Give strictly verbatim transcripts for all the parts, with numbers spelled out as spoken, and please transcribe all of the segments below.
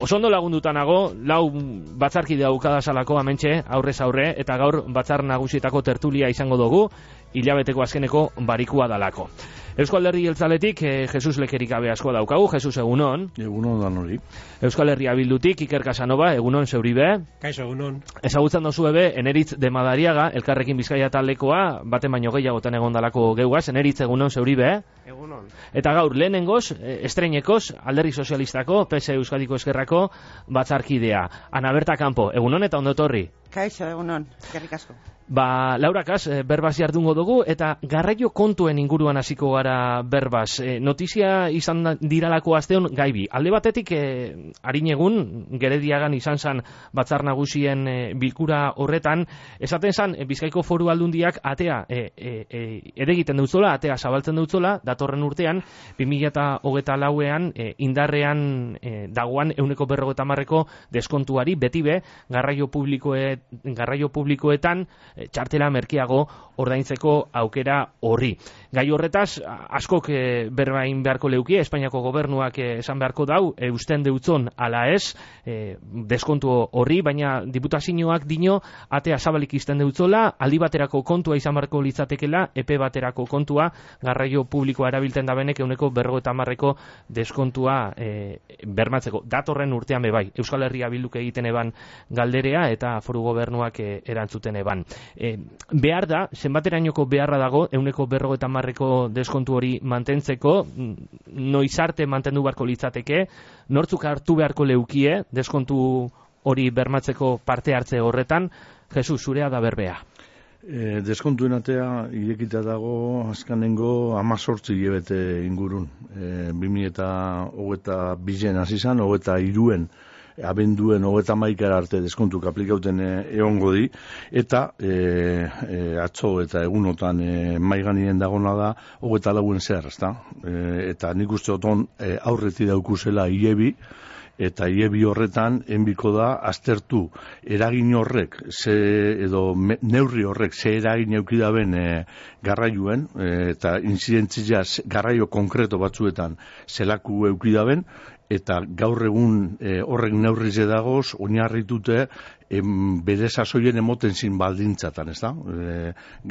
Oso ondo lagundutanago, lau batzarkide daukadazalako amentxe, aurrez aurre, eta gaur batzar nagusietako tertulia izango dugu, hilabeteko azkeneko barikua dalako. Euskal Herri Jeltzaletik eh, Jesus Lekerikabe asko daukagu. Jesus, egunon. Egunon dan hori. Euskal Herria Bildutik Iker Casanova, egunon zeuribe. Kaixo, egunon. Ezagutzen dozu ebe, Eneritz de Madariaga, Elkarrekin Bizkaia taldekoa, baten baino gehiagotan egon dalako geugaz. Eneritz, egunon zeuribe. Egunon. Eta gaur, lehenengoz, estreinekoz, Alderdi Sozialistako, P S Euskadiko Eskerrako batzarkidea. Ana Berta Campo, egunon eta ondo etorri. Kaixo, egunon, eskerrik asko. Ba, Laurakaz, berbaz jardungo dugu, eta garraio kontuen inguruan hasiko gara berbaz. E, notizia izan diralako asteon gaibi. Alde batetik, e, harin egun, Gerediagan izan zan batzar nagusien e, bilkura horretan, esaten zan, e, Bizkaiko Foru Aldundiak atea e, e, e, edegiten dutzola, atea zabaltzen dutzola, datorren urtean, bi mila hogeita lauean, e, indarrean e, dagoan euneko berrogeta marreko deskontuari, beti be, garraio publikoe, garraio publikoetan, txartela merkeago ordaintzeko aukera horri. Gai horretaz, askok e, berbain beharko leuki, Espainiako gobernuak e, esan beharko dau, e, usten deutzon ala ez, e, deskontu horri, baina diputazioak dino, atea zabalik izten deutzola, aldi baterako kontua izan beharko litzatekela, epe baterako kontua, garraio publikoa erabiltzen da benek, euneko berrogeta marreko deskontua e, bermatzeko. Datorren urtean bebai, Euskal Herria Bilduk egiten eban galderea, eta Foru Gobernuak e, erantzuten eban. E, behar da, zenbaterainoko beharra dago euneko berrogeta marreko deskontu hori mantentzeko, noizarte mantendu beharko litzateke, nortzuk hartu beharko leukie deskontu hori bermatzeko parte hartze horretan. Jesus, zurea da berbea. E, deskontuen atea irekita dago azkanengo amazortzi hilabete ingurun. E, bi mila hogeita bizen hasi zan, hogeita hiruen abenduen hogeita hamaikara arte deskontuk aplikauten egongo di, eta e, e, atzo eta egunotan e, maiganien dagona da hogeita lauen zer, ezta? E, eta nik uste oton e, aurreti daukusela hilebi, eta hilebi horretan enbiko da aztertu eragin horrek, ze, edo me, neurri horrek ze eragin eukidaben e, garraioen, e, eta inzidentzia garraio konkreto batzuetan zelaku eukidaben, eta gaur egun e, horrek neurrize dagoz, oinarritute em, bere sasoien emoten zin baldintzatan, ez da? E,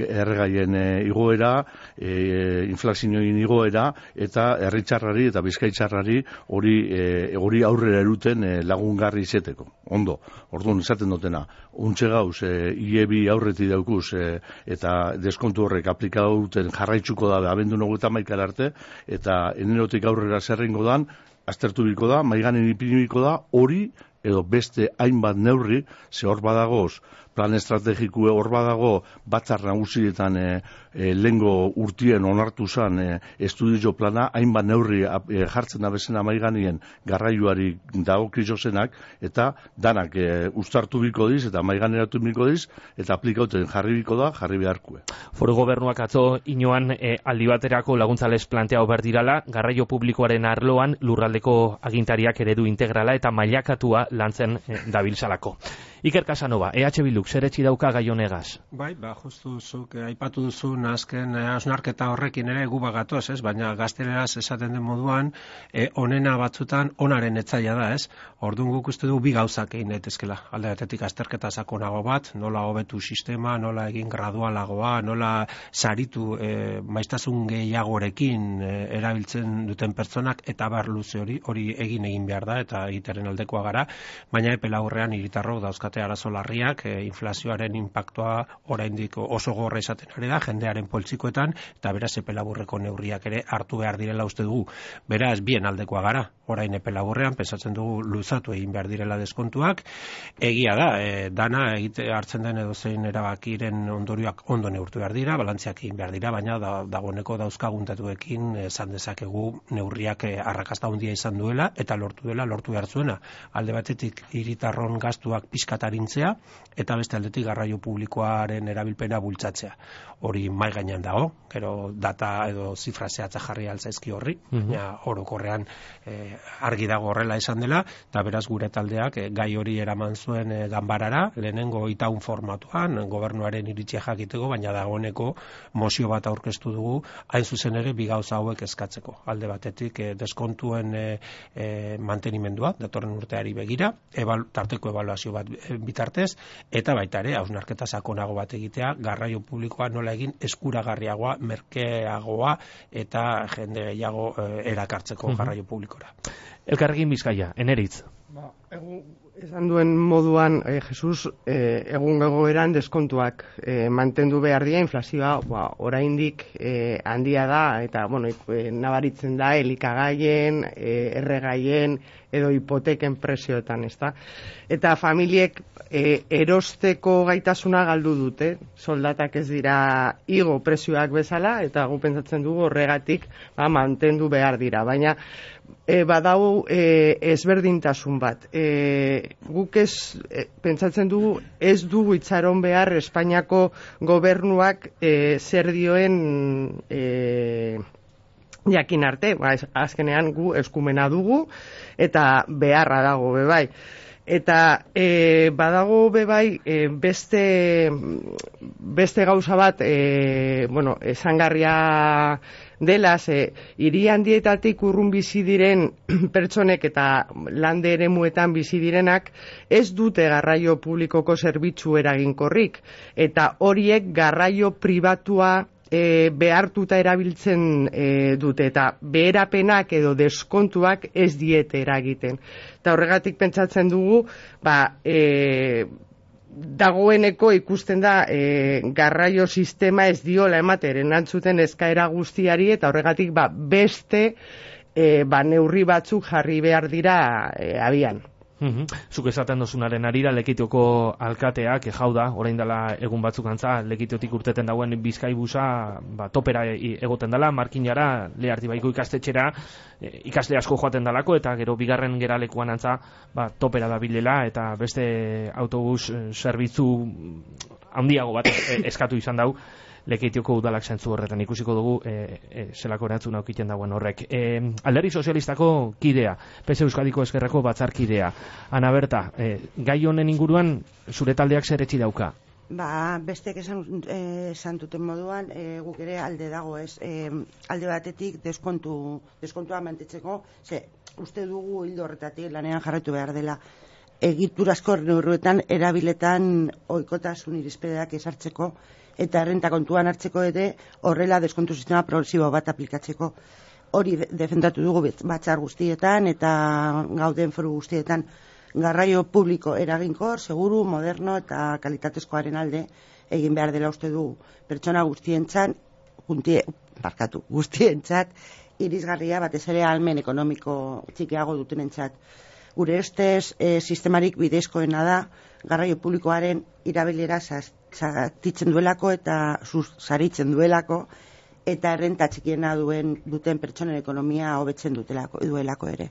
erregaien e, igoera, e, inflazioin igoera, eta herritxarrari eta bizkaitzarrari hori e, hori aurrera eruten e, lagungarri izeteko. Ondo, orduan izaten dutena, untxe gauz, e, hilebi aurreti daukuz, e, eta deskontu horrek aplikauten jarraitzuko da abendu hogeita hamaikara arte, eta enerotik aurrera zerrengo dan, aztertu biko da, maiganen ipinibiko da, hori edo beste hainbat neurri, ze hor badagoz, plan estrategikue hor badago, batzar nagusietan e, e, lengo urtien onartu zan e, estudio plana, hainbat neurri e, jartzen da bezena maiganien garraioari dagokizo zenak, eta danak e, ustartu biko diz, eta maiganeratu biko diz, eta aplikauten jarri biko da, jarri beharkue. Foru Gobernuak atzo inoan e, aldi baterako laguntzales planteau behar dirala, garraio publikoaren arloan lurraldeko agintariak eredu integrala eta mailakatua lantzen e, dabiltzalako. Iker Casanova, E H Bilduk zer etxi dauka gai honegaz? Bai, ba, justu zuk eh, aipatu duzun azken eh, hausnarketa horrekin ere gu bagatoz, ez? Baina gazteleraz esaten den moduan, eh, onena batzutan onaren etzaia da, ez? Orduan guk uste du bi gauzak egin daitezkela. Alde batetik azterketa sakonago bat, nola hobetu sistema, nola egin gradualagoa, nola saritu eh, maiztasun gehiagorekin eh, erabiltzen duten pertsonak, eta bar luze hori, hori egin egin behar da, eta egiteren aldekoa gara, baina epe laburrean hiritarrok dauzkate arazo larriak, e, inflazioaren inpaktua oraindik oso gorra izaten ari da, jendearen poltsikoetan, eta beraz epe laburreko neurriak ere hartu behar direla uste dugu. Beraz, bien aldekoa gara, orain epe laburrean, pensatzen dugu luzatu egin behar direla deskontuak, egia da, e, dana egite hartzen den edozein erabakiren ondorioak ondo neurtu behar dira, balantziak egin behar dira, baina da, dagoeneko dauzkaguntatuekin esan dezakegu neurriak e, arrakasta handia izan duela, eta lortu dela, lortu behar zuena. Alde batetik hiritarron gastuak pizkat bat arintzea, eta beste aldetik garraio publikoaren erabilpena bultzatzea. Hori mai gainean dago, gero data edo zifra zehatza jarri altzaizki horri, baina orokorrean eh, argi dago horrela esan dela, eta beraz gure taldeak eh, gai hori eraman zuen eh, ganbarara, lehenengo itaun formatuan, gobernuaren iritzia jakiteko, baina dagoeneko mozio bat aurkeztu dugu, hain zuzen ere bi gauza hauek eskatzeko. Alde batetik eh, deskontuen eh, eh, mantenimendua, datorren urteari begira, ebal, tarteko ebaluazio bat bitartez, eta baita ere, hausnarketa sakonago bat egitea, garraio publikoa nola egin eskuragarriagoa, merkeagoa eta jende gehiago eh, erakartzeko garraio publikora. Elkarrekin Bizkaia, Eneritz. Ba, egun, esan duen moduan, eh, Jesus, eh, egun egoeran deskontuak eh, mantendu behar dira, inflazioa ba, oraindik eh, handia da, eta bueno, eh, nabaritzen da elikagaien, eh, erregaien, edo hipoteken prezioetan, ezta? Eta familiek e, erosteko gaitasuna galdu dute, soldatak ez dira igo prezioak bezala, eta gu pentsatzen dugu horregatik ba, mantendu behar dira, baina e, badau e, ezberdintasun bat. E, guk ez, e, pentsatzen dugu ez dugu itxaron behar Espainiako gobernuak e, zer dioen e, jakin arte, ba, azkenean gu eskumena dugu eta beharra dago bebai. Eta e, badago bebai e, beste, beste gauza bat e, bueno, esangarria dela, ze hiri handietatik urrun bizi diren pertsonek eta lande eremuetan bizi direnak ez dute garraio publikoko zerbitzu eraginkorrik, eta horiek garraio pribatua E, behartuta erabiltzen e, dute, eta beherapenak edo deskontuak ez diete eragiten. Eta horregatik pentsatzen dugu, ba, e, dagoeneko ikusten da e, garraio sistema ez diola ematen erantzuten eskaera guztiari, eta horregatik ba, beste e, ba, neurri batzuk jarri behar dira e, abian. Uhum. Zuk esaten dozunaren arira Lekitioko alkateak jau da, orain dela egun batzuk antza, Lekitiotik urteten dauen Bizkaibusa ba, topera egoten dela, markinara, Lehartibaiko ikastetxera, e, ikasle asko joaten dalako, eta gero bigarren geralekuan antza ba, topera da bilela, eta beste autobus zerbitzu handiago bat eskatu izan dau, Lekitioko udalak zentzu horretan ikusiko dugu e, e, zelako erantzun aukiten dagoen horrek. E, Alderdi Sozialistako kidea, P S Euskadiko Ezkerreko batzarkidea. Ana Berta, e, gai honen inguruan zure taldeak zer etxi dauka? Ba, bestek esan, eh, esan duten moduan, eh, guk ere alde dago ez, eh, alde batetik deskontu, deskontua mantetzeko, ze uste dugu hildo horretatik lanean jarraitu behar dela, egiturazko neurruetan erabiletan ohikotasun irizpideak ezartzeko, eta errenta kontuan hartzeko ere horrela deskontu sistema progresibo bat aplikatzeko. Hori defendatu dugu batzar guztietan eta gauden foru guztietan, garraio publiko eraginkor, seguru, moderno eta kalitatezkoaren alde egin behar dela uste du pertsona guztientzat, juntie, barkatu, guztientzat irisgarria batez ere ahalmen ekonomiko txikiago dutenentzat. Gure ustez e, sistemarik bidezkoena da garraio publikoaren irabilera zatitzen duelako eta saritzen duelako, eta errenta txikiena duen duten pertsonen ekonomia hobetzen dutelako duelako ere.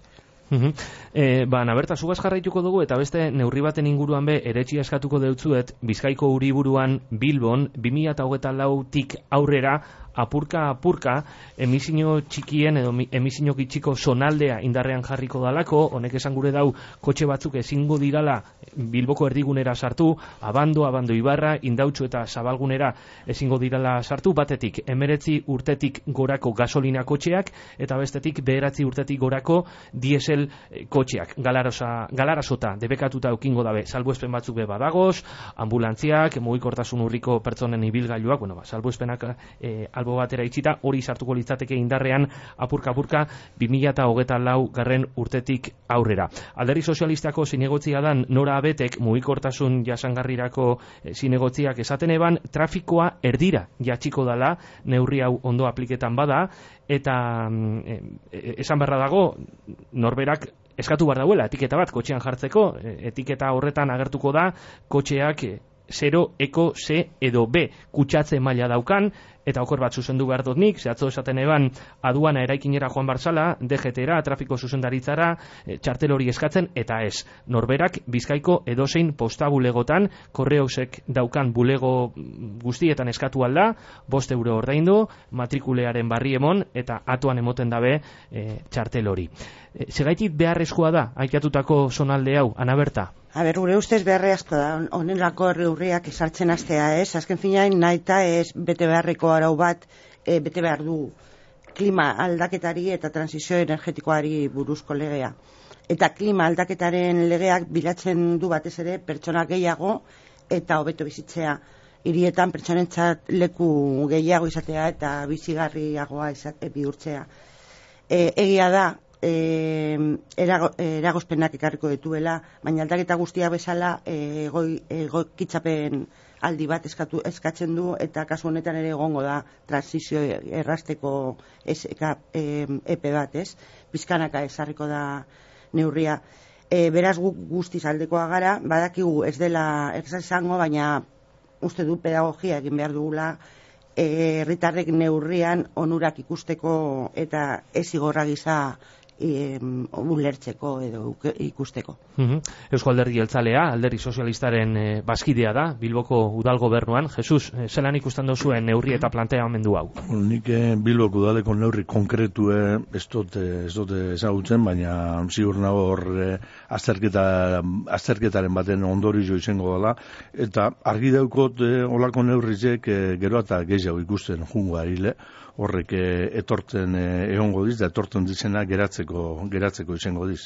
Uhum. E, ba, Naberta, zugaz jarraituko dugu, eta beste neurri baten inguruan be, eretxia eskatuko deutzuet, Bizkaiko Uriburuan Bilbon, bi mila hogeita lautik aurrera, apurka apurka, emisio txikien edo emisio gitxiko zonaldea indarrean jarriko dalako, honek esan gure dau, kotxe batzuk ezingo dirala Bilboko erdigunera sartu, abando, abando ibarra, indautxu eta zabalgunera ezingo dirala sartu, batetik, emeretzi urtetik gorako gasolina kotxeak, eta bestetik, beheratzi urtetik gorako diesel kotxeak, galarosa, galarasota, debekatuta eukingo dabe, salbuespen batzuk be badagoz, ambulantziak, mugikortasun urriko pertsonen ibilgailuak, bueno, ba, salbuespenak e, albo batera itxita, hori sartuko litzateke indarrean apurka-apurka bi mila hogeita lau garren urtetik aurrera. Alderdi Sozialistako zinegotzia dan Nora Abetek mugikortasun jasangarrirako e, zinegotziak esaten eban, trafikoa erdira jatxiko dala, neurri hau ondo apliketan bada, eta e, e, esan beharra dago, norberak eskatu behar dauela, etiketa bat kotxean jartzeko, etiketa horretan agertuko da, kotxeak zero, eko, C edo B kutsatze maila daukan, eta okor bat zuzendu behar dut nik, zehatzo esaten eban aduana eraikinera joan barzala, D G T-era, trafiko zuzendaritzara, e, txartel hori eskatzen, eta ez, norberak Bizkaiko edozein posta bulegotan, korreosek daukan bulego guztietan eskatu alda, bost euro ordaindu, matrikulearen barri emon, eta atuan emoten dabe e, txartel hori. E, segaitik beharrezkoa da, aikatutako zonalde hau, Ana Berta? A ber, gure ustez beharrezko da, honelako neurriak esartzen hastea, ez? Azken finean, nahita ez bete beharreko arau bat, e, bete behar du klima aldaketari eta transizio energetikoari buruzko legea. Eta klima aldaketaren legeak bilatzen du batez ere pertsona gehiago eta hobeto bizitzea. Hirietan pertsonentzat leku gehiago izatea eta bizigarriagoa izate, bihurtzea. E, egia da, E, erago, eragozpenak ekarriko dituela, baina aldaketa guztia bezala egokitzapen ego aldi bat eskatu, eskatzen du, eta kasu honetan ere egongo da transizio errasteko eseka, e, epe bat, ez? Bizkanaka ezarriko da neurria. E, beraz guk guztiz aldekoa gara, badakigu ez dela ez izango, baina uste du pedagogia egin behar dugula, herritarrek e, neurrian onurak ikusteko eta ez igorra gisa E, ulertzeko edo ikusteko. Uh-huh. Eusko Alderdi Jeltzalea, Alderdi Sozialistaren e, bazkidea da, Bilboko udal gobernuan. Jesus, e, zelan ikusten duzuen neurri eta planteamendu hau? Nik e, Bilboko udaleko neurri konkretu ez dut ez dut ezagutzen, baina ziur nago hor e, azterketa, azterketaren baten ondorio izango dela, eta argi daukot e, olako neurrizek e, gero eta gehiago ikusten jungo arile, horrek etortzen egongo diz, da etortzen dizena geratzeko, geratzeko izango diz.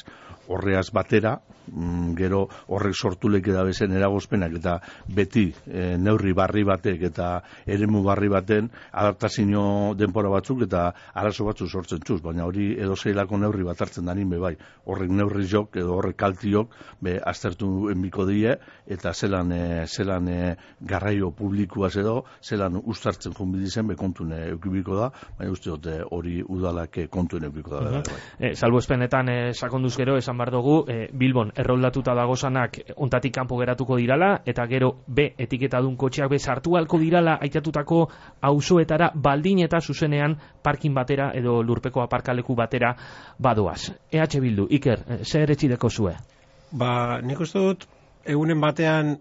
Horreaz batera, mm, gero horrek sortu leke da bezen eragozpenak, eta beti e, neurri barri batek eta eremu barri baten adaptazio denpora batzuk eta arazo batzuk sortzen txuz, baina hori edo zeilako neurri bat hartzen danin be bai. Horrek neurri jok edo horrek kaltiok be aztertu enbiko die, eta zelan, e, zelan e, garraio publikoaz edo, zelan ustartzen junbidizen be kontune eukibiko da, baina uste dute hori udalak kontuen eukiko da. Uh-huh. e, Salbuespenetan e, sakonduz gero esan behar dugu, e, Bilbon erroldatuta dagozanak ontatik kanpo geratuko dirala, eta gero B etiketadun kotxeak be sartu halko dirala aitatutako auzoetara baldin eta zuzenean parkin batera edo lurpeko aparkaleku batera badoaz. E H Bildu, Iker, e, zer etxideko zue? Ba, nik uste dut, egunen batean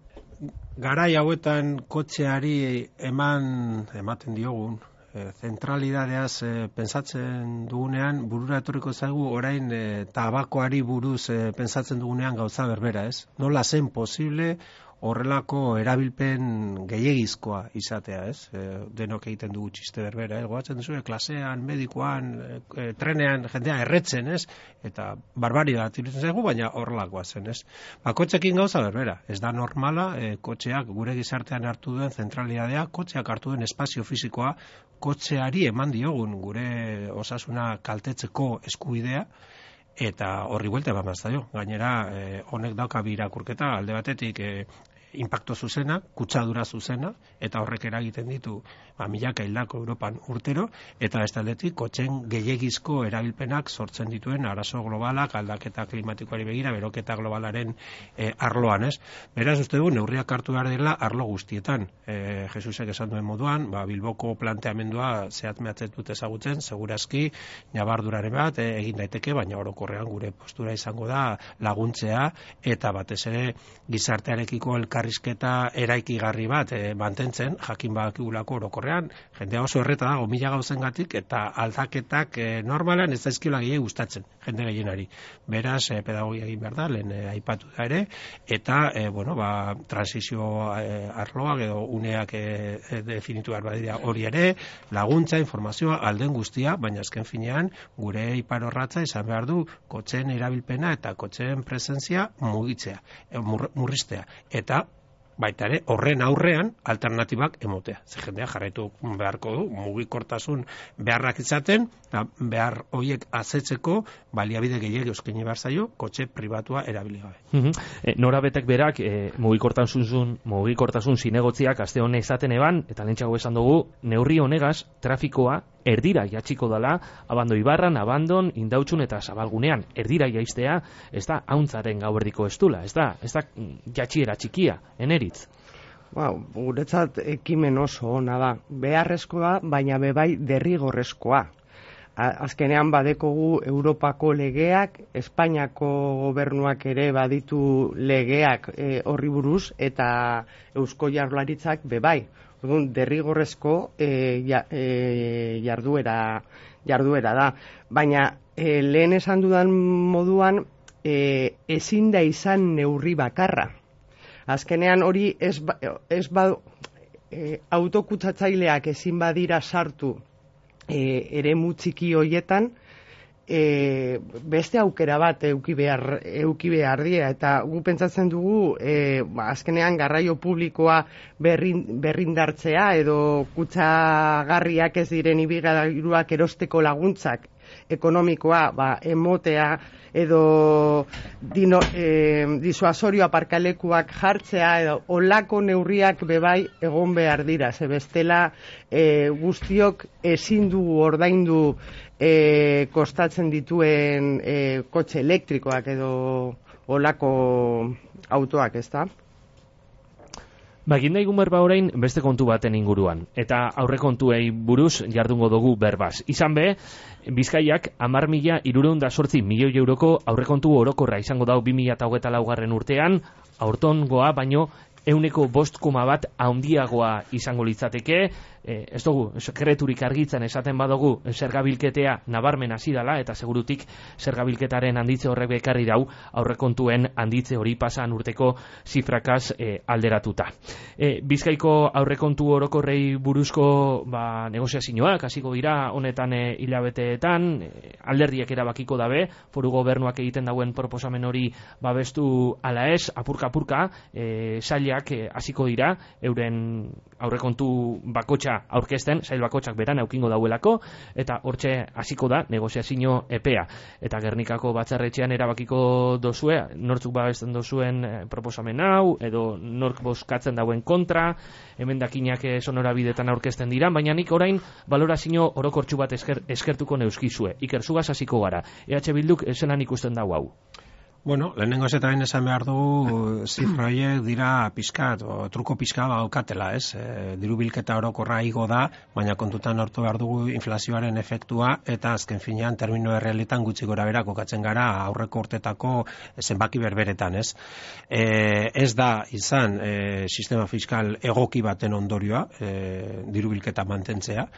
garai hauetan kotxeari eman ematen diogun, E, zentralidadeaz e, pensatzen dugunean, burura etorriko zaigu orain e, tabakoari buruz e, pensatzen dugunean gauza berbera, ez? Nola zen posible horrelako erabilpen gehiegizkoa izatea, ez? E, denok egiten dugu txiste berbera, ez? Goatzen duzu, klasean, medikoan, e, trenean, jendea erretzen, ez? Eta barbaria iruditzen zaigu, baina horrelakoa zen, ez? Ba, kotxekin gauza berbera, ez da normala, e, kotxeak gure gizartean hartu duen zentralidadea, kotxeak hartu duen espazio fisikoa, kotxeari eman diogun gure osasuna kaltetzeko eskubidea, eta horri buelta eman zaio. Gainera, eh, honek dauka bi irakurketa, alde batetik eh, impacto zuzena, kutsadura zuzena, eta horrek eragiten ditu ba, milaka hildako Europan urtero, eta bestaldetik kotxen gehiegizko erabilpenak sortzen dituen arazo globalak, aldaketa klimatikoari begira, beroketa globalaren e, arloan, ez? Beraz, uste dugu, neurriak hartu behar dela arlo guztietan. E, Jesusek esan duen moduan, ba, Bilboko planteamendua zehat mehatzen dut ezagutzen, segurazki, nabarduraren bat, e, egin daiteke, baina orokorrean gure postura izango da laguntzea, eta batez ere gizartearekiko elkarrizketa eraikigarri bat e, mantentzen, jakin badakigulako orokorrean, jendea oso erreta dago mila gauzengatik eta aldaketak e, normalan ez daizkiola gehiago gustatzen jende gehienari. Beraz, e, pedagogia egin behar da, lehen e, aipatu da ere, eta e, bueno, ba, transizio e, arloak edo uneak e, e, definitu behar badira hori ere, laguntza, informazioa, alden guztia, baina azken finean gure ipar orratza izan behar du kotxeen erabilpena eta kotxeen presentzia mugitzea, e, mur, murriztea, eta baita ere, horren aurrean alternatibak emotea. Ze jendea jarraitu beharko du, mugikortasun beharrak izaten, behar horiek azetzeko baliabide gehiago eskaini behar zaio, kotxe pribatua erabili gabe. Uh-huh. e, Nora betek berak, e, mugikortasun, mugikortasun zinegotziak aste honek izaten eban, eta lehentxago esan dugu, neurri honegaz, trafikoa erdira jatxiko dala, abando ibarran, abandon, indautxun eta zabalgunean, erdira jaistea, ez da hauntzaren gauerdiko estula, ez da, ez da jatxiera txikia, eneritz. Ba, guretzat ekimen oso ona da. Beharrezkoa, baina bebai derrigorrezkoa. Azkenean badekogu Europako legeak, Espainiako gobernuak ere baditu legeak e, horri buruz, eta Eusko Jaurlaritzak bebai. Orduan, derrigorrezko e, ja, e, jarduera, jarduera da. Baina e, lehen esan dudan moduan, e, ezin da izan neurri bakarra. Azkenean hori ez, ba, ez ba, e, autokutsatzaileak ezin badira sartu E, ere mutxiki hoietan e, beste aukera bat euki behar, euki behar dira, eta gu pentsatzen dugu e, ba, azkenean garraio publikoa berrin, berrindartzea edo kutsagarriak ez diren ibilgailuak erosteko laguntzak ekonomikoa ba, emotea edo dino, e, disuasorio aparkalekuak jartzea edo olako neurriak bebai egon behar dira, ze bestela e, guztiok ezin dugu ordaindu e, kostatzen dituen e, kotxe elektrikoak edo olako autoak, ezta? Ba, egin daigun berba orain beste kontu baten inguruan, eta aurrekontuei buruz jardungo dugu berbaz. Izan be, Bizkaiak hamar mila hirurehun eta zortzi milioi euroko aurrekontu orokorra izango dau bi mila hogeita laugarren urtean, aurtongoa baino ehuneko bost koma bat handiagoa izango litzateke. E, ez dugu, sekreturik argitzen esaten badugu zergabilketea nabarmen hasi dela, eta segurutik zergabilketaren handitze horrek bekarri dau aurrekontuen handitze hori pasan urteko zifrakaz e, alderatuta. E, Bizkaiko aurrekontu orokorrei buruzko ba, negoziazioak hasiko dira honetan e, hilabeteetan, e, alderdiek erabakiko dabe, foru gobernuak egiten dauen proposamen hori babestu ala ez, apurka-apurka, e, sailak hasiko e, dira, euren aurrekontu bakotxa aurkezten, sail bakotxak beran aukingo dauelako, eta hortxe hasiko da negoziazio epea. Eta Gernikako batzarretxean erabakiko dozue, nortzuk babesten dozuen proposamen hau, edo nork bozkatzen dauen kontra, emendakinak sonorabidetan aurkezten dira, baina nik orain balorazio orokortxu bat esker, eskertuko neuskizue. Iker, zugaz hasiko gara. E H Bilduk zelan ikusten dau hau? Bueno, lehenengo ez eta bain esan behar dugu zifra horiek dira pizkat, o truko pizka daukatela, ez? E, diru bilketa orokorra igo da, baina kontutan hartu behar dugu inflazioaren efektua, eta azken finean termino errealitan gutxi gora bera kokatzen gara aurreko urtetako zenbaki berberetan, ez? E, ez da izan e, sistema fiskal egoki baten ondorioa, e, diru bilketa mantentzea.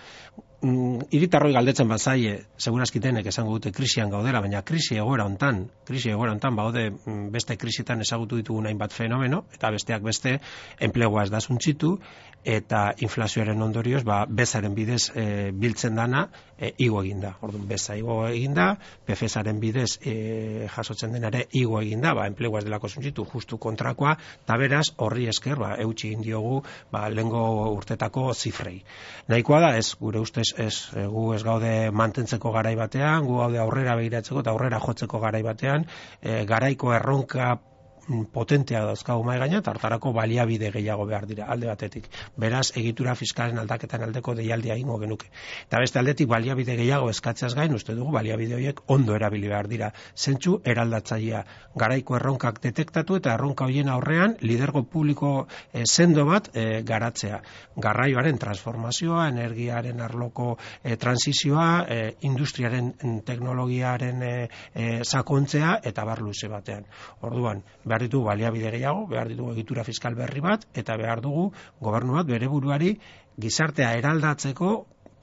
Hiritarroi galdetzen bazaie, segurazki denek esango dute krisian gaudela, baina krisi egoera hontan, krisi egoera hontan baude beste krisitan ezagutu ditugun hainbat fenomeno, eta besteak beste enplegua ez da suntzitu, eta inflazioaren ondorioz, ba, bezaren bidez e, biltzen dana e, igo eginda. Orduan, beza igo eginda, P F S-aren bidez e, jasotzen denare igo eginda, ba, enplegua ez delako suntzitu, justu kontrakoa, eta beraz, horri esker, ba, eutxi egin diogu, ba, lehengo urtetako zifrei. Nahikoa da, ez, gure ustez, ez, gu ez gaude mantentzeko garai batean, gu gaude aurrera begiratzeko eta aurrera jotzeko garai batean, e, garaiko erronka potentea dauzkagu mai gaina, eta hartarako baliabide gehiago behar dira alde batetik. Beraz, egitura fiskalen aldaketen aldeko deialdia egingo genuke. Eta beste aldetik baliabide gehiago eskatzeaz gain, uste dugu baliabide horiek ondo erabili behar dira. Zentzu eraldatzailea, garaiko erronkak detektatu eta erronka horien aurrean lidergo publiko e, sendo bat e, garatzea. Garraioaren transformazioa, energiaren arloko e, transizioa, e, industriaren teknologiaren e, e, sakontzea eta bar luze batean. Orduan, behar ditugu baliabide gehiago, behar ditugu egitura fiskal berri bat, eta behar dugu gobernu bat bere buruari gizartea eraldatzeko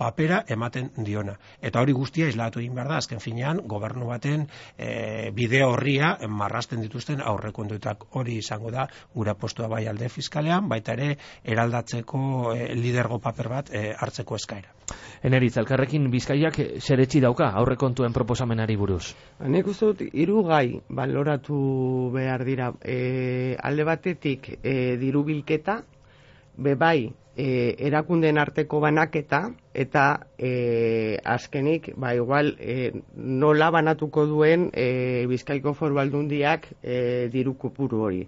papera ematen diona. Eta hori guztia islatu egin behar da, azken finean, gobernu baten e, bide horria marrasten dituzten aurrekontuetak. Hori izango da, gure postua bai alde fiskalean, baita ere eraldatzeko e, lidergo paper bat e, hartzeko eskaera. Eneritz, elkarrekin Bizkaiak zeretzi dauka aurrekontuen proposamenari buruz? Nik uste dut, hiru gai baloratu behar dira. E, alde batetik e, diru bilketa, bebai e, erakundeen arteko banaketa, eta e, azkenik, ba, igual, e, nola banatuko duen e, Bizkaiko Foru Aldundiak e, diru kopuru hori.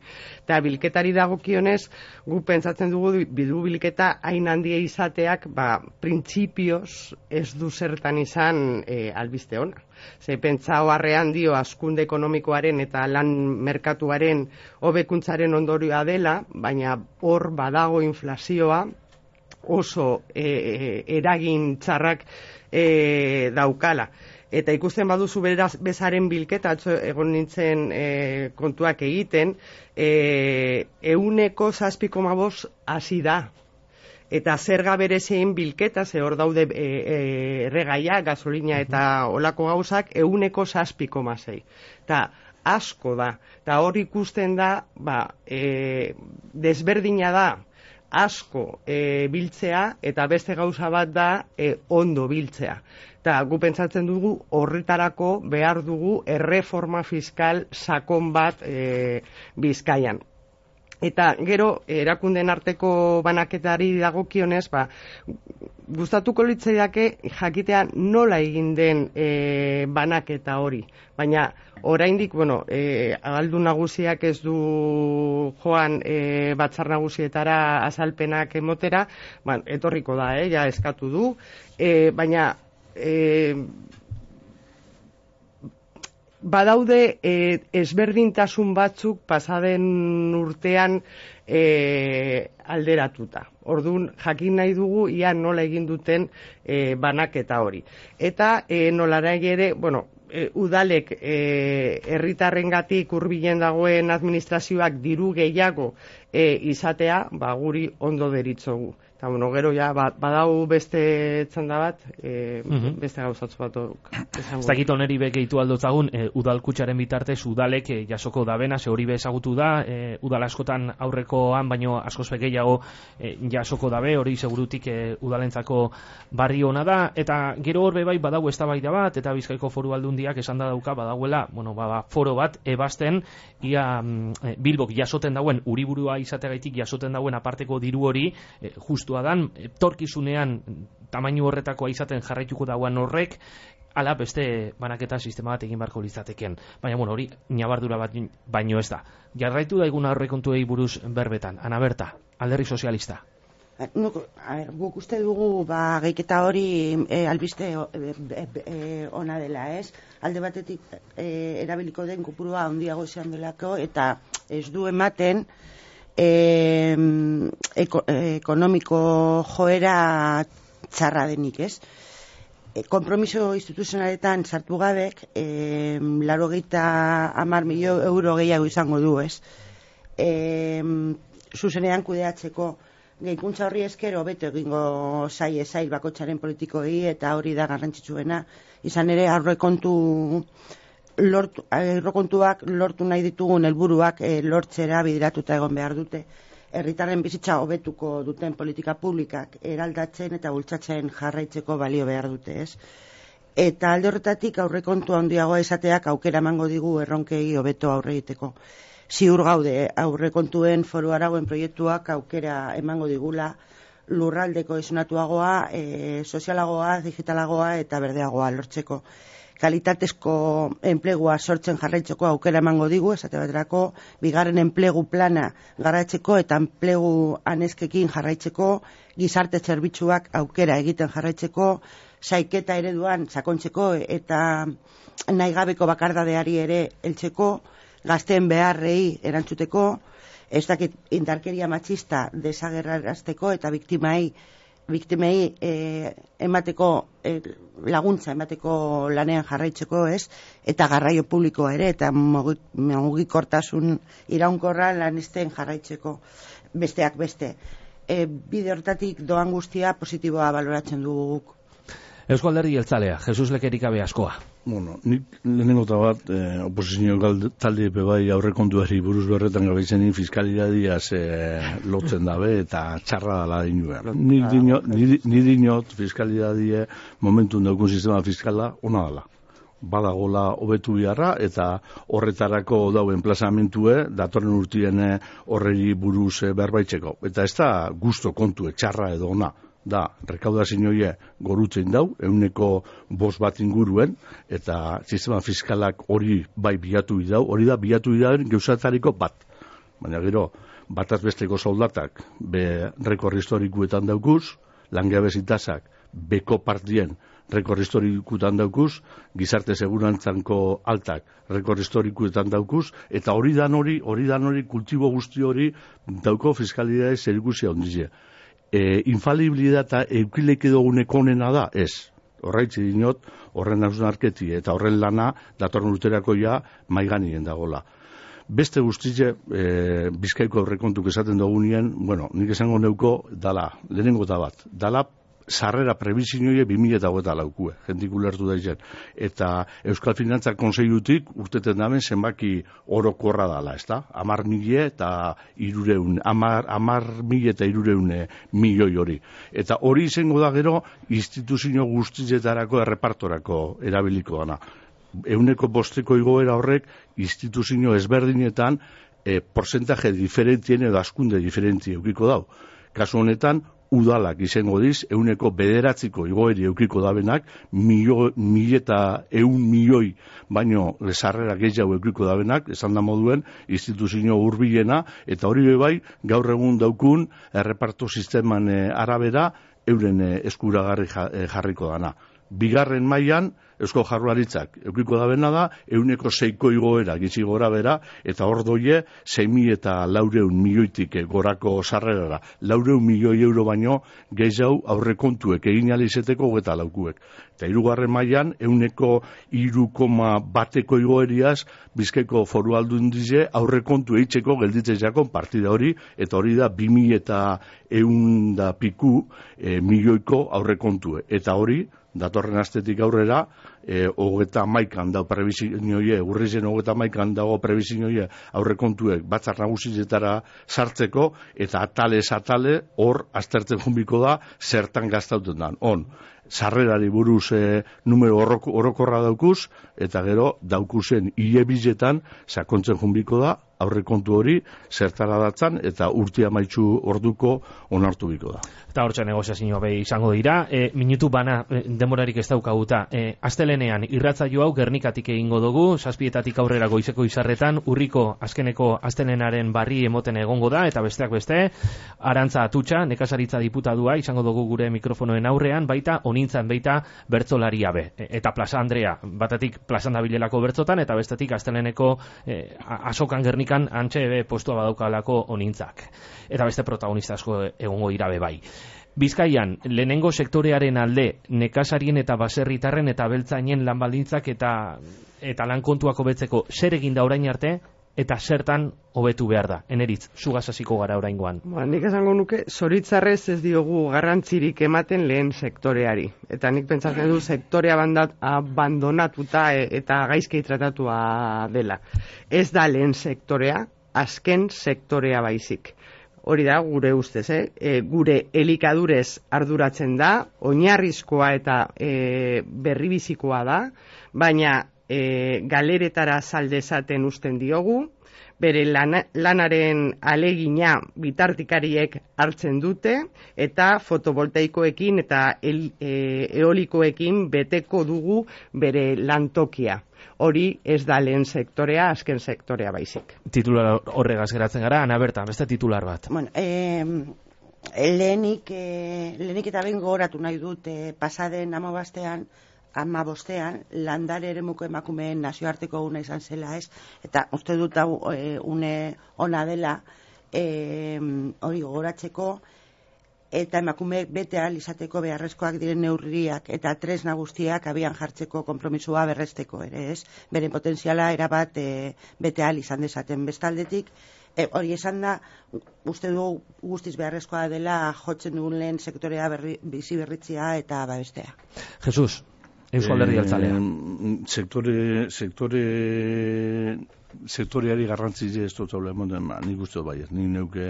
Eta bilketari dagokionez, gu pentsatzen dugu bidu bilketa hain handia izateak, ba, printzipioz ez du zertan izan e, albiste ona. Ze pentsa oharrean dio hazkunde ekonomikoaren eta lan merkatuaren hobekuntzaren ondorioa dela, baina hor badago inflazioa, oso e, eragin txarrak e, daukala. Eta ikusten baduzu beraz bezaren bilketa, atzo egon nintzen e, kontuak egiten, e, euneko zazpi koma bost hasi da. Eta zerga berezein bilketa, ze hor daude e, e, erregaia, gasolina eta olako gauzak, euneko zazpi koma sei. Eta asko da. Eta hor ikusten da, ba, e, desberdina da, asko e, biltzea eta beste gauza bat da e, ondo biltzea. Eta gu pentsatzen dugu horretarako behar dugu erreforma fiskal sakon bat e, Bizkaian. Eta gero erakunden arteko banaketari dagokionez, ba, gustatuko litzaiake jakitea nola egin den e, banaketa hori. Baina oraindik, bueno, e, Ahaldun Nagusiak ez du joan e, batzar nagusietara azalpenak emotera, ba, etorriko da, eh, ja eskatu du, e, baina e, badaude e, ezberdintasun batzuk pasaden urtean e, alderatuta. Orduan, jakin nahi dugu ia nola egin duten e, banaketa hori. Eta e, nolara ere, bueno, e, udalek herritarrengatik hurbilen dagoen administrazioak diru gehiago e, izatea, ba, guri ondo deritzogu. Eta, bueno, gero ja, ba, badau beste txanda bat, e, mm-hmm. beste gauzatzu bat ez dakit oneri begehitu aldotzagun, e, udalkutxaren bitartez udalek e, jasoko dabena, ze hori be ezagutu da, e, udal askotan aurrekoan, baino askoz gehiago e, jasoko dabe, hori segurutik e, udalentzako barri ona da, eta gero hor bai badau eztabaida bat, eta Bizkaiko Foru Aldundiak esan da dauka badauela, bueno, ba, foro bat ebasten, ia e, Bilbok jasoten dauen, uriburua izategaitik jasoten dauen aparteko diru hori, e, justu dan, torkizunean tamainu horretakoa izaten jarraituko dauan horrek, ala beste banaketa sistema bat egin barko litzateken. Baina, bueno, hori ñabardura bat baino ez da. Jarraitu daiguna horrekontuei buruz berbetan. Ana Berta, Alderdi Sozialista. Nuk, a ber, guk uste dugu ba, geiketa hori e, albiste e, e, e, ona dela, ez? Alde batetik e, erabiliko den kopurua handiago izan delako, eta ez du ematen E, eko, ekonomiko joera txarra denik, ez? E, kompromiso instituzionaletan sartu gabek, e, laro geita amar milio euro gehiago izango du, ez? E, zuzenean kudeatzeko gehikuntza horri eskero beto egingo zaie zail bakotxaren politikoei, eta hori da garrantzitsuena, izan ere aurrekontu Lortu, aurrekontuak lortu nahi ditugun helburuak e, lortzera bideratuta egon behar dute. Herritarren bizitza hobetuko duten politika publikak eraldatzen eta bultzatzen jarraitzeko balio behar dute, ez? Eta alde horretatik aurrekontu handiagoa izateak aukera emango digu erronkei hobeto aurre egiteko. Ziur gaude aurrekontuen foru arauen proiektuak aukera emango digula lurraldeko esunatuagoa, e, sozialagoa, digitalagoa eta berdeagoa lortzeko. Kalitatezko enplegua sortzen jarraitzeko aukera emango digu, esate baterako, bigarren enplegu plana garatzeko eta enplegu aneskekin jarraitzeko, gizarte zerbitzuak aukera egiten jarraitzeko, saiketa ereduan sakontzeko eta nahigabeko bakardadeari ere heltzeko, gazteen beharrei erantzuteko, ez dakit indarkeria matxista desagerrarazteko eta biktimai biktimei e, emateko e, laguntza emateko lanean jarraitzeko, ez? Eta garraio publikoa ere eta mugikortasun iraunkorra lanesten jarraitzeko besteak beste. E, bide hortatik doan guztia positiboa baloratzen dugu guk. Eusko Alderdi Jeltzalea, Jesus Lekerikabe askoa. Bueno, nik lehenengo eta bat, eh, oposizio talde bai aurrekontuari buruz berretan gabeizenin fiskalidadiaz eh, lotzen dabe eta txarra dala dinua. Ni dinot fiskalidadie momentun daukun sistema fiskala ona dala. Badagola hobetu biharra eta horretarako dauen plazamentue datorren urtien horreri buruz berbaitzeko. Eta ez da gusto kontue txarra edo ona. da rekaudazioa gorutzen dau, euneko bost bat inguruen, eta sistema fiskalak hori bai bilatu idau, hori da bilatu idauen geuzatariko bat. Baina gero, bataz besteko soldatak be rekor historikuetan daukuz, langabezi tasak beko partien rekor historikuetan daukuz, gizarte segurantzanko altak rekor historikuetan daukuz, eta hori dan hori, hori dan hori, kultibo guzti hori dauko fiskalidade zerikusia ondizia. E, infalibilidata eukileke duguneko onena da, ez. Horraitzi dinot, horren hausnarketi eta horren lana datorren urterako ja maiganien dagola. Beste guztize, e, Bizkaiko aurrekontuk esaten dugunien, bueno, nik esango neuko, dala, lehenengo da bat, dala sarrera prebizioie bi mila hogeita laukue, jentik ulertu daizen. Eta Euskal Finantza Kontseilutik urteten damen zenbaki orokorra dala, ez da? Amar mila eta irureun, amar, amar mila eta irureun milioi hori. Eta hori izango da gero, instituzio guztietarako errepartorako erabiliko dana. Euneko bosteko igoera horrek instituzio ezberdinetan e, porcentaje diferentien edo askunde diferentie eukiko dau. Kasu honetan, udalak izango diz, euneko bederatziko igoeri eukiko dabenak, mila eta eun milioi baino sarrera gehiago eukiko dabenak, esan da moduen, instituzio hurbilena, eta hori bai, gaur egun daukun, erreparto sisteman e, arabera, euren e, eskuragarri jarriko dana. Bigarren mailan Eusko Jaurlaritzak eukiko dabena da, euneko seiko igoera gitzi gora bera, eta hor doie, sei mila eta laureun milioitik gorako sarrerara. Laureun milioi euro baino, gehiago aurrekontuek egin alizeteko eta laukuek. Eta hirugarren mailan euneko hiru koma bateko igoeriaz, Bizkaiko Foru Aldundize aurrekontu eitzeko gelditzen jakon partida hori, eta hori da bi mila eta eun da piku e, milioiko aurrekontue. Eta hori, datorren astetik aurrera, e, hogeta maikan dago prebizioie, urrizen hogeta maikan dago prebizioie aurrekontuek batzar nagusietara sartzeko, eta atalez atale hor aztertzen jumbiko da zertan gaztauten dan. On, sarrerari buruz e, numero orokorra daukuz, eta gero daukuzen hile bizetan sakontzen jumbiko da aurrekontu hori zertara datzan eta urtia maitxu orduko onartu biko da. Eta hortxe negoziazioa be izango dira, e, minutu bana e, demorarik ez daukaguta. E, astelenean irratzaio hau Gernikatik egingo dugu, zazpietatik aurrera goizeko izarretan, urriko azkeneko astelenaren barri emoten egongo da, eta besteak beste, Arantza Atutxa, nekazaritza diputadua izango dugu gure mikrofonoen aurrean, baita onintzan baita bertzolaria be. E, eta Plaza Andrea, batetik plazan dabilelako bertzotan, eta bestetik asteleneko e, asokan Gernikan antxe be postua badaukalako onintzak. Eta beste protagonista asko egongo dira be bai. Bizkaian, lehenengo sektorearen alde, nekazarien eta baserritarren eta beltzainen lanbaldintzak eta eta lan kontuak hobetzeko zer egin da orain arte, eta zertan hobetu behar da. Eneritz, zugaz hasiko gara oraingoan. Ba, nik esango nuke, zoritzarrez ez diogu garrantzirik ematen lehen sektoreari. Eta nik pentsatzen du sektorea bandat, abandonatuta e, eta gaizki tratatua dela. Ez da lehen sektorea, azken sektorea baizik. Hori da, gure ustez, eh? E, gure elikadurez arduratzen da, oinarrizkoa eta e, berribizikoa da, baina e, galeretara saldezaten usten diogu, bere lana, lanaren alegina bitartikariek hartzen dute, eta fotovoltaikoekin eta el, e, eolikoekin beteko dugu bere lantokia. Hori ez da lehen sektorea, azken sektorea baizik. Titular horregaz geratzen gara, Ana Berta, beste titular bat. Bueno, eh, lehenik, eh, lehenik eta behin gogoratu nahi dut eh, pasaden amabastean, amabostean, landare eremuko emakumeen nazioarteko una izan zela, ez? Eta uste dut hau e, une ona dela e, hori gogoratzeko, eta emakumeek bete ahal izateko beharrezkoak diren neurriak eta tresna guztiak abian jartzeko konpromisua berresteko ere, ez? Beren potentziala erabat e, bete ahal izan dezaten bestaldetik. E, hori esan da, uste dugu guztiz beharrezkoa dela jotzen dugun lehen sektorea berri, bizi berritzea eta babestea. Jesus, Eusko Alderdi Jeltzalea. Eh, sektore, sektore sektoriari garrantzile ez dut zaula emoten, ba, nik uste bai, nik neuke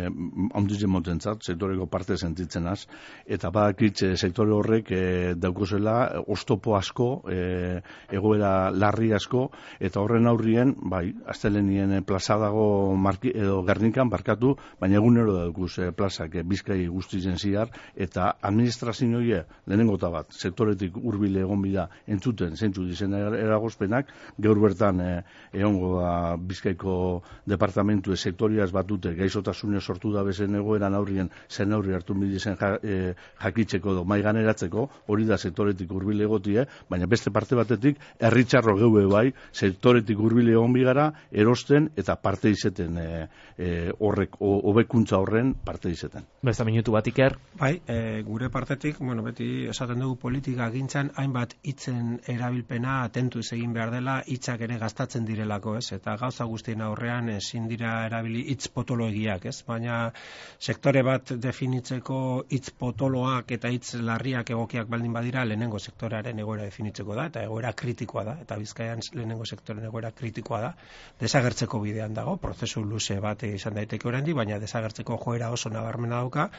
handitzen motentzat, sektoreko parte sentitzen az, eta badakit e, sektore horrek e, daukozela oztopo asko, e, egoera larri asko, eta horren aurrien, bai, astelenien plaza dago marki, edo Gernikan barkatu, baina egunero daukuz e, plazak e, Bizkai guztizen ziar, eta administrazioa lehenengo eta bat, sektoretik hurbile egon bida entzuten, zentzu dizen eragozpenak, gaur bertan e, egongo da Bizkaiko departamentu sektoriaz batute gaizotasune sortu da bezen egoeran aurrien zen aurri hartu bidizen ja, e, jakitzeko do mai ganeratzeko, hori da sektoretik hurbil egotie, baina beste parte batetik herritxarro geue bai, sektoretik hurbil egon bigara erosten eta parte izeten e, e, horrek hobekuntza horren parte izeten. Beste minutu bat Iker. Bai, e, gure partetik, bueno, beti esaten dugu politika gintzan hainbat hitzen erabilpena atentuz egin behar dela, hitzak ere gastatzen direlako, ez? Eta gauza guztien aurrean ezin dira erabili hitz potoloegiak, ez? Baina sektore bat definitzeko hitz potoloak eta hitz larriak egokiak baldin badira, lehenengo sektorearen egoera definitzeko da, eta egoera kritikoa da, eta Bizkaian lehenengo sektoren egoera kritikoa da, desagertzeko bidean dago, prozesu luze bat izan daiteke oraindik, baina desagertzeko joera oso nabarmena dauka,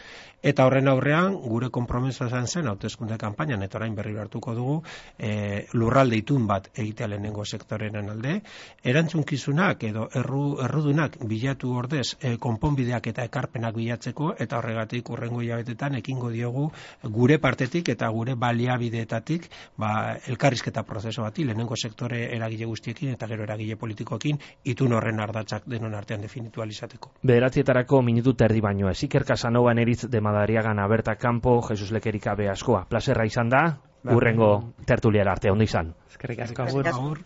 eta horren aurrean gure konpromisoa izan zen hauteskunde kanpainan, eta orain berriro hartuko dugu, e, lurralde itun bat egitea lehenengo sektoreren alde, erantzunkizunak edo erru, errudunak bilatu ordez e, konponbideak eta ekarpenak bilatzeko, eta horregatik urrengo hilabetetan ekingo diogu gure partetik eta gure baliabideetatik ba, elkarrizketa prozesu bati lehenengo sektore eragile guztiekin eta gero eragile politikoekin itun horren ardatzak denon artean definitu alizateko. Bederatzietarako minutu terdi baino ez. Iker Casanova Neritz de Madariagan Aberta Campo, Jesus Lekerika be askoa. Plazerra izan da, urrengo tertuliara arte, ondo izan. Eskerrik asko. Agur.